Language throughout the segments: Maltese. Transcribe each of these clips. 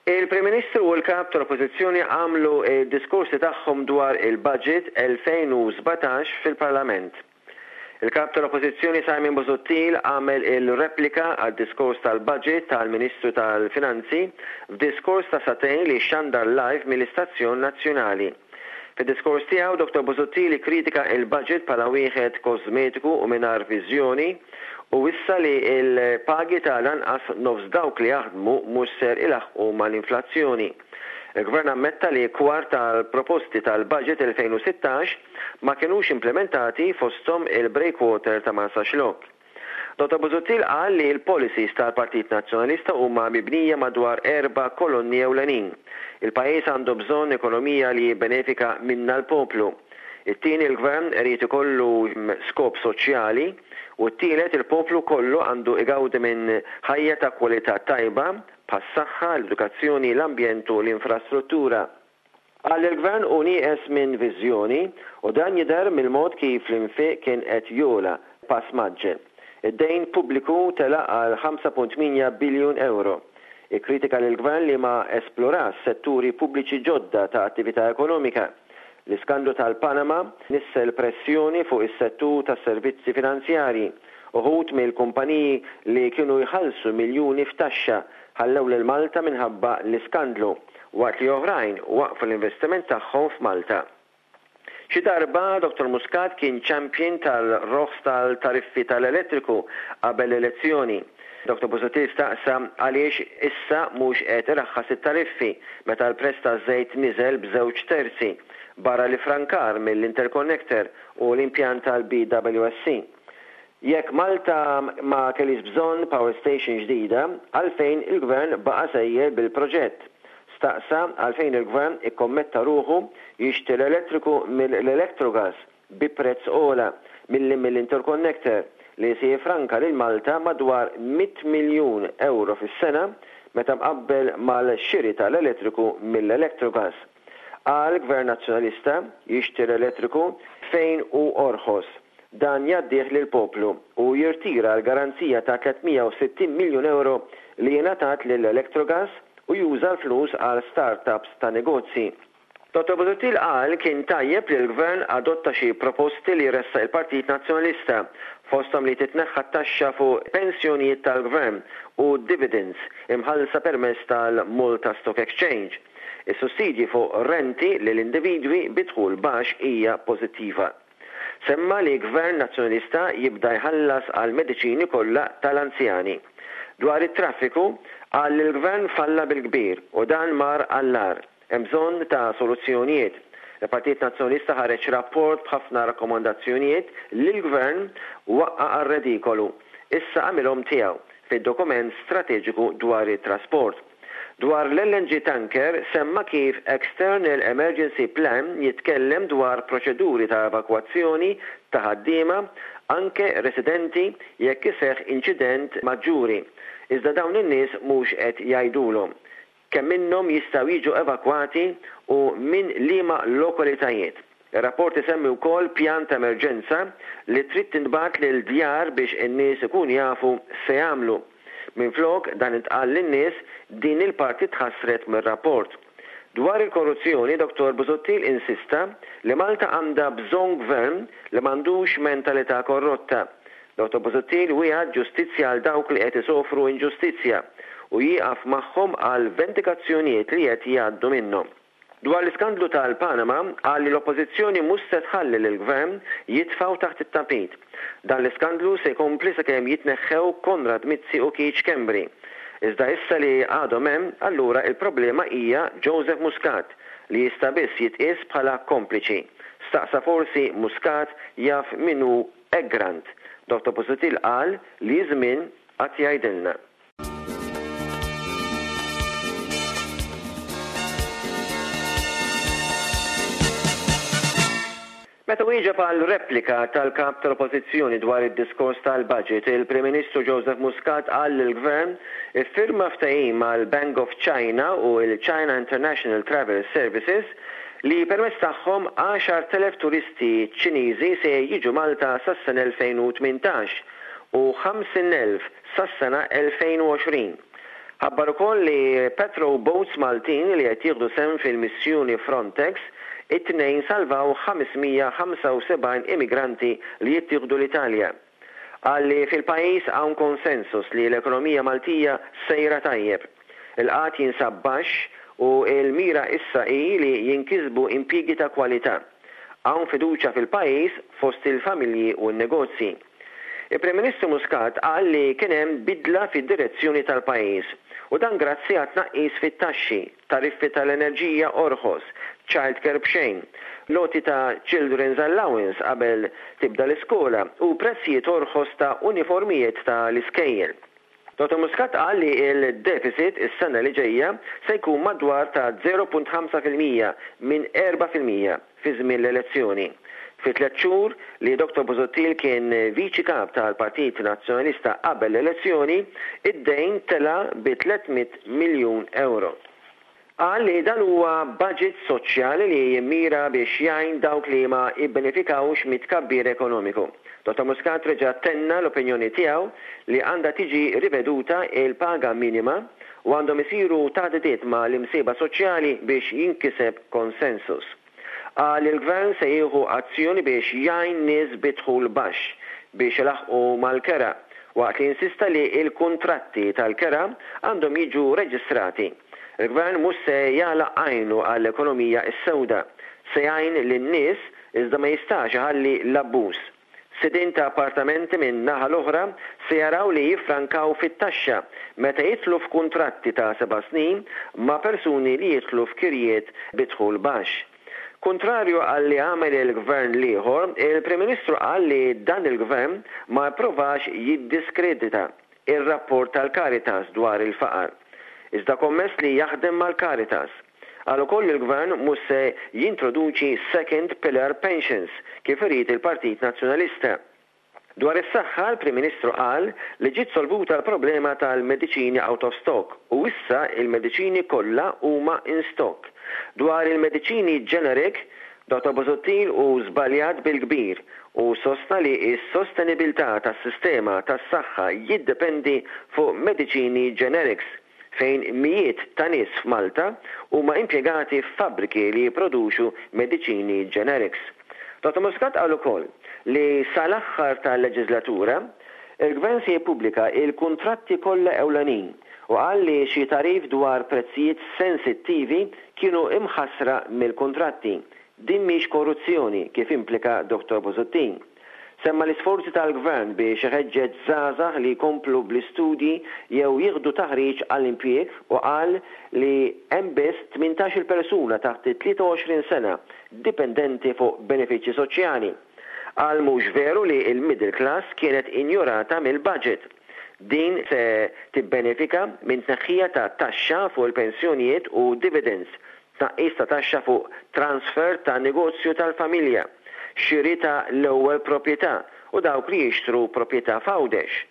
Il-Prim Ministru u l-Kap tal-Oppożizzjoni għamlu d-diskorsi tagħhom dwar il-Budget 2017 fil-Parlament. Il-Kap tal-Oppożizzjoni Simon Busuttil għamel il-replika għad-diskors tal-Budget tal-Ministru tal-Finanzi f'diskors ta' sagħtejn li xxandar live mill-istazzjon nazzjonali. Fid-diskors tiegħu, Dottor Busuttil ikkritika il-budget bħala wieħed kożmetiku u mingħajr viżjoni u wissa li l-pagi ta' l-anqas nofs dawk li jaħdmu mhux ser ilaħħqu mal-inflazzjoni. Il-Gvern ammetta li kwart tal-proposti tal-budget 2016 ma kinux implimentati fosthom il-breakwater ta' Marsaxlokk. Dottor Busuttil qal li l-policies tal-Partit Nazzjonalista huma mibnija madwar erba' kolonni ewlenin. Il-pajjiż għandu bżonn ekonomija li jibbenefika minnha l-poplu. It-tieni l-Gvern irid ikollu skop soċjali u t-tielet il-poplu kollu għandu igawdi minn ħajja ta' kwalità tajba bħas-saħħa, l-edukazzjoni, l-ambjent u l-infrastruttura. Qal li l-Gvern hu nieqes minn viżjoni u dan jidher mill-mod kif l-infiq kien qed jogħla b'pass mgħaġġel. Id-dejn pubbliku tela' għal 5.8 biljun ewro. Ikkritika lill-Gvern li ma esplorax setturi pubbliċi ġodda ta' attività ekonomika. L-iskandlu tal-Panama nissel pressjoni fuq is-settur tas-servizzi finanzjarji. Uħud mill-kumpaniji li kienu jħallsu miljuni f'taxxa ħallew lil Malta minħabba l-iskandlu, waqt li oħrajn waqqfu l-investiment tagħhom f'Malta. Xi darba Dottor Muscat kien champion tal-roħs tal-tariffi tal-elettriku qabel l-elezzjoni. Dottor Busuttil staqsa għaliex issa mhux qed iraħħas it-tariffi meta l-prezz taż-żejt niżel b'żewġ terzi, barra l-iffrankar mill-interconnector u l-impjant tal-BWSC. Jekk Malta ma kellhiex bżonn power station ġdida, għalfejn il-Gvern baqa' sejjer bil-proġett? Staqsa għalfejn il-Gvern ikkommetta ruħu jixtri l-elettriku mill-Electrogas bi prezz ogħla milli mill-interconnector li se jiffranka lil Malta madwar 100 miljun ewro fis-sena meta mqabbel mal-xiri tal-elettriku mill-Electrogas. Qal Gvern Nazzjonalista jixtri l-elettriku fejn hu orħos. Dan jgħaddih lill-poplu u jirtira l-garanzija ta' 360 miljun ewro li ingħatat lil Electrogas u juża l-flus għal start-ups ta' negozji. Dottor Busuttil qal kien tajjeb li l-Gvern adotta xi proposti li ressaq il-Partit Nazzjonalista, fosthom li titneħħa t-taxxa fuq pensjonijiet tal-Gvern u dividends imħallsa permezz tal-Malta Stock Exchange. Is-sussidji fuq renti lil individwi bi dħul baxx hija pożittiva. Semma li Gvern Nazzjonalista jibda jħallas għall-mediċini kollha tal-anzjani. Dwar it-traffiku, qal li l-Gvern falla bil-kbir u dan mar għall-agħar. Hemm bżonn ta' soluzzjonijiet. Il-Partit Nazzjonalista ħareġ rapport b'ħafna rakkomandazzjonijiet li l-Gvern waqqa' għar-redikolu. Issa għamilhom tiegħu fid-dokument strateġiku dwar it-trasport. Dwar l-LNG tanker semma kif External Emergency Plan jitkellem dwar proċeduri ta' evakwazzjoni ta' ħaddiema, anke residenti jekk iseħħ inċident maġġuri. Iżda dawn in-nies mhux qed jgħidulhom kemm minnhom jistgħu jiġu evakwati u minn liema lokalitajiet. Ir-rapport isemmi wkoll pjan ta' emerġenza li trid tintbagħat lil djar biex in-nies ikunu jafu x'se jagħmlu. Minflok dan intqal lin-nies, din il-parti tħassret mir-rapport. Dwar il-korruzzjoni, Dottor Busuttil insista li Malta għandha bżonn gvern li m'għandux mentalità korrotta. Dottor Busuttil wiegħed ġustizzja għal dawk li qed isofru inġustizzja u jieqaf magħhom għall-vendikazzjonijiet li qed jgħaddu minnhom. Dwar l-iskandlu tal-Panama, qal li l-Oppożizzjoni mhux se tħalli lill-Gvern jitfgħu taħt it-tapit. Dan l-iskandlu se jkompli sakemm jitneħħew Konrad Mizzi u Keith Schembri. Iżda issa li għadhom hemm, allura il-problema hija Joseph Muscat, li jista' biss jitqies bħala kompliċi. Staqsa forsi Muscat jaf min hu Egrant. Dottor Busuttil qal li ż-żmien għad jgħidilna. Meta wieġeb għal replika tal-Kap tal-Oppożizzjoni dwar id-diskors tal-Budget, il-Prim Ministru Joseph Muscat qal li l-Gvern iffirma ftehim mal-Bank of China u l-China International Travel Services. li permezz tagħhom 10,000 turisti Ċiniżi se jiġu Malta sas-sena 2018 u 50,000 sas-sena 2020. Ħabbar ukoll li patrol boats Maltin li qed jieħdu sehem fil-missjoni Frontex it-Tnejn salvaw 575 immigranti li jittieħdu l-Italja. Qal li fil-pajjiż hawn konsensus li l-ekonomija Maltija sejra tajjeb. Il-qgħad jinsab baxx u l-mira issa hi li jinkisbu impjiegi ta' kwalità. Hawn fiduċja fil-pajjiż fost il-familji u n-negozji. Il-Prim Ministru Muscat qal li kien hemm bidla fid-direzzjoni tal-pajjiż u dan grazzi għat-tnaqqis fit-taxxi, tariffi tal-enerġija orħos, childcare b'xejn, l-għoti ta' children's allowance qabel tibda l-iskola u prezzijiet orħos ta' uniformijiet ta' l-iskejjel. Dottor Muscat qal li l-deficit is-sena li ġejja se jkun madwar ta' 0.5% minn 4% fi żmien l-elezzjoni. Fi tlett xhur li Dottor Busuttil kien Viċi Kap tal-Partit Nazzjonalista qabel l-elezzjoni, id-dejn tela' bi 300 miljun ewro. Qal li dan huwa budget soċjali li jimmira biex jgħin dawk li ma ibbenefikawx mit-tkabbir ekonomiku. Dottor Muscat reġa' tenna l-opinjoni tiegħu li għandha tiġi riveduta l-paga minima u għandhom isiru taħdidiet ma' l-imsieba soċjali biex jinkiseb konsensus. Qal li l-Gvern se jieħu azzjoni biex jgħin nies bi dħul baxx biex ilaħħqu mal-kera, waqt li insista li l-kuntratti tal-kera għandhom jiġu reġistrati. Il-Gvern mhux se jagħlaq għajnu għall-ekonomija s-sewda. Se jgħin lin-nies iżda ma jistax iħalli l-abbuż. Sidien ta' appartamenti minn naħa l-oħra se jaraw li jiffrankaw fit-taxxa meta jidħlu f'kuntratti ta' seba' snin ma' persuni li jidħlu f'kirjiet bi dħul baxx. Kuntrarju għal li għamel il-Gvern l-ieħor, il-Prim Ministru qal li dan il-Gvern ma pprovax jiddiskredita ir-rapport tal-Caritas dwar il-faqar. Iżda kommess li jaħdem mal-Caritas. Qal ukoll li l-Gvern mhux se jintroduċi second pillar pensions kif irid il-Partit Nazzjonalista. Dwar is-saħħa, l-Prim Ministru qal li ġiet solvuta l-problema tal-mediċini out of stock u issa il-mediċini kollha huma in stock. Dwar il-mediċini generic, Dottor Busuttil hu żbaljat bil-kbir u sostna li s-sostenibilità tas-sistema tas-saħħa jiddependi fuq mediċini generics fejn mijiet ta' nies f'Malta huma impjegati f'fabbriki li jipproduċu mediċini generics. Dottor Muscat qal ukoll li sal-aħħar tal-leġiżlatura, il-Gvern se jippubblika l-kuntratti kollha ewlenin u qal li xi tagħrif dwar prezzijiet sensittivi kienu imħassra mill-kuntratti. Din mhix korruzzjoni, kif implika Dottor Busuttil. Semma l-isforzi tal-Gvern biex iħeġġeġ żgħażagħ li jkomplu bl-istudji jew jieħdu taħriġ għall-impjieg u qal li hemm biss 18-il persuna taħt it-23 sena dipendenti fuq benefiċċji soċjali. Qal mhux veru li l-middle class kienet injorata mill-budget. Din se tibbenefika minn tneħħija ta' taxxa fuq il-pensjonijiet u dividends, tnaqqis ta' taxxa fuq transfer ta' negozju tal-familja, xiri ta' l-ewwel proprjetà u dawk li jixtru proprjetà f'Għawdex.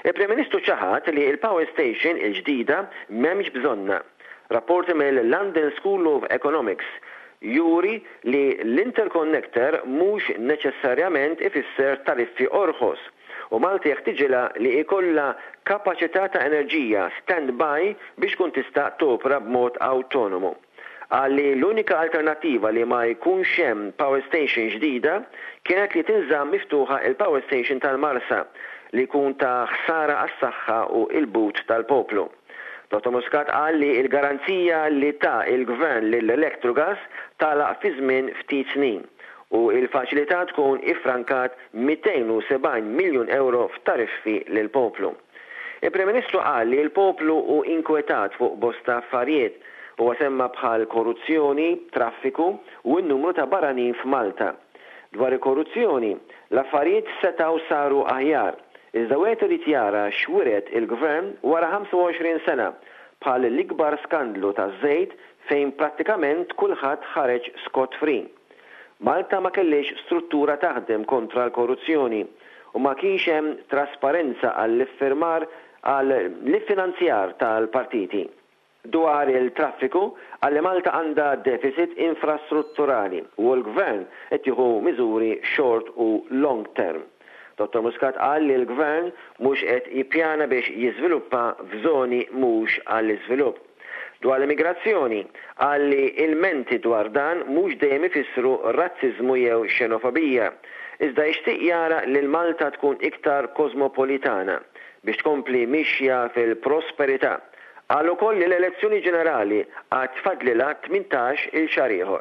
Il-Prim Ministru ċaħad li l-power station il-ġdida m'hemmx bżonnha. Rapporti mill-London School of Economics juri li l-interconnector mhux neċessarjament ifisser tariffi orħos u Malta jeħtiġilha li jkollha kapaċità ta' enerġija stand-by biex tkun tista' topra b'mod awtonomu. Qal li l-unika alternattiva li ma jkunx hemm power station ġdida kienet li tinżamm miftuħa il-power station tal-Marsa li jkun ta' ħsara għas-saħħa u l-but tal-poplu. Dottor Muscat qal li l-garanzija li ta l-Gvern lil Electrogas tagħlaq fi żmien ftit snin u l-faċilità tkun iffrankat 270 miljun ewro f'tariffi lill-poplu. Il-Prim Ministru qal li l-poplu hu inkwetat fuq bosta affarijiet. Huwa semma bħal korruzzjoni, traffiku u n-numru ta' barranin f'Malta. Dwar il-korruzzjoni, l-affarijiet setgħu saru aħjar, iżda wieħed irid jara x'wiret il-Gvern wara 25 sena, bħal l-ikbar skandlu taż-żejt fejn prattikament kulħadd ħareġ scot free. Malta ma kellhiex struttura taħdem kontra l-korruzzjoni u ma kienx hemm trasparenza għall-iffirmar għal l-iffinanzjar tal-partiti. Dwar il-traffiku, qal li Malta għandha deficit infrastrutturali u l-Gvern qed jieħu miżuri short u long term. Dottor Muscat qal li l-Gvern mhux qed jippjana biex jiżviluppa f'żoni mhux għall-iżvilupp. Dwar l-immigrazzjoni, qal li ilmenti dwar dan mhux dejjem ifissru razziżmu jew xenofobija, iżda jixtieq jara lil Malta tkun iktar kożmopolitana biex tkompli mixja fil-prosperità. Qal ukoll li l-elezzjoni ġenerali għad fadlilha 18 il xahar ieħor.